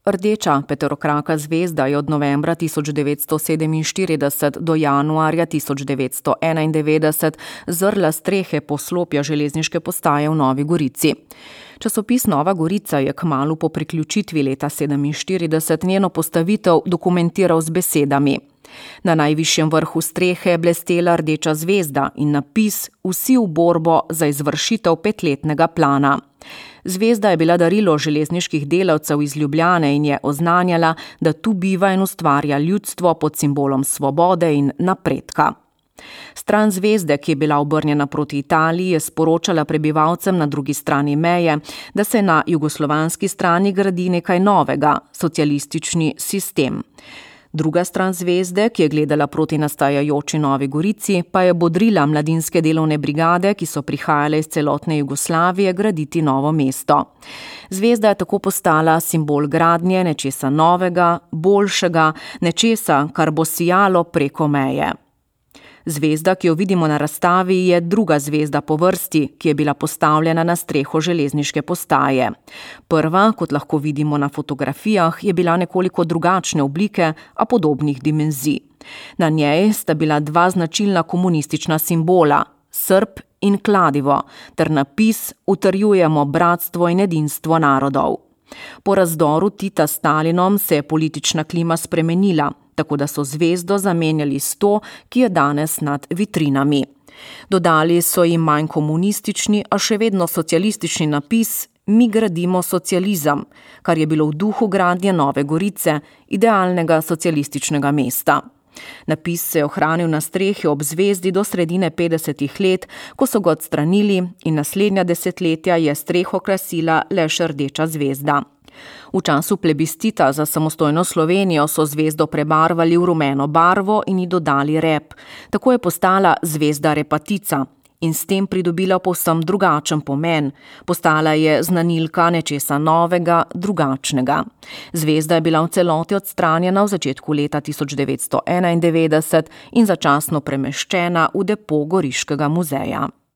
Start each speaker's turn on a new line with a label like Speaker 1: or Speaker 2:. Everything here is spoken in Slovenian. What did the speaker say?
Speaker 1: Rdeča peterokraka zvezda je od novembra 1947 do januarja 1991 zrla strehe poslopja železniške postaje v Novi Gorici. Časopis Nova Gorica je kmalu po priključitvi leta 1947 njeno postavitev dokumentiral z besedami: Na najvišjem vrhu strehe je blestela rdeča zvezda in napis Vsi v borbo za izvršitev 5-letnega plana. Zvezda je bila darilo železniških delavcev iz Ljubljane in je oznanjala, da tu biva in ustvarja ljudstvo pod simbolom svobode in napredka. Stran zvezde, ki je bila obrnjena proti Italiji, je sporočala prebivalcem na drugi strani meje, da se na jugoslovanski strani gradi nekaj novega, socialistični sistem. Druga stran zvezde, ki je gledala proti nastajajoči Novi Gorici, pa je bodrila mladinske delovne brigade, ki so prihajale iz celotne Jugoslavije graditi novo mesto. Zvezda je tako postala simbol gradnje nečesa novega, boljšega, nečesa, kar bo sijalo preko meje. Zvezda, ki jo vidimo na razstavi, je druga zvezda po vrsti, ki je bila postavljena na streho železniške postaje. Prva, kot lahko vidimo na fotografijah, je bila nekoliko drugačne oblike, a podobnih dimenzij. Na njej sta bila dva značilna komunistična simbola, srp in kladivo, ter napis Utrjujemo bratstvo in edinstvo narodov. Po razdoru Tita s Stalinom se je politična klima spremenila, tako da so zvezdo zamenjali s to, ki je danes nad vitrinami. Dodali so jim manj komunistični, a še vedno socialistični napis Mi gradimo socializem, kar je bilo v duhu gradnje Nove Gorice, idealnega socialističnega mesta. Napis se je ohranil na strehi ob zvezdi do sredine 50. let, ko so ga odstranili in naslednja desetletja je streho krasila le še rdeča zvezda. V času plebiscita za samostojno Slovenijo so zvezdo prebarvali v rumeno barvo in ji dodali rep. Tako je postala zvezda repatica in s tem pridobila povsem drugačen pomen. Postala je znanilka nečesa novega, drugačnega. Zvezda je bila v celoti odstranjena v začetku leta 1991 in začasno premeščena v depo Goriškega muzeja.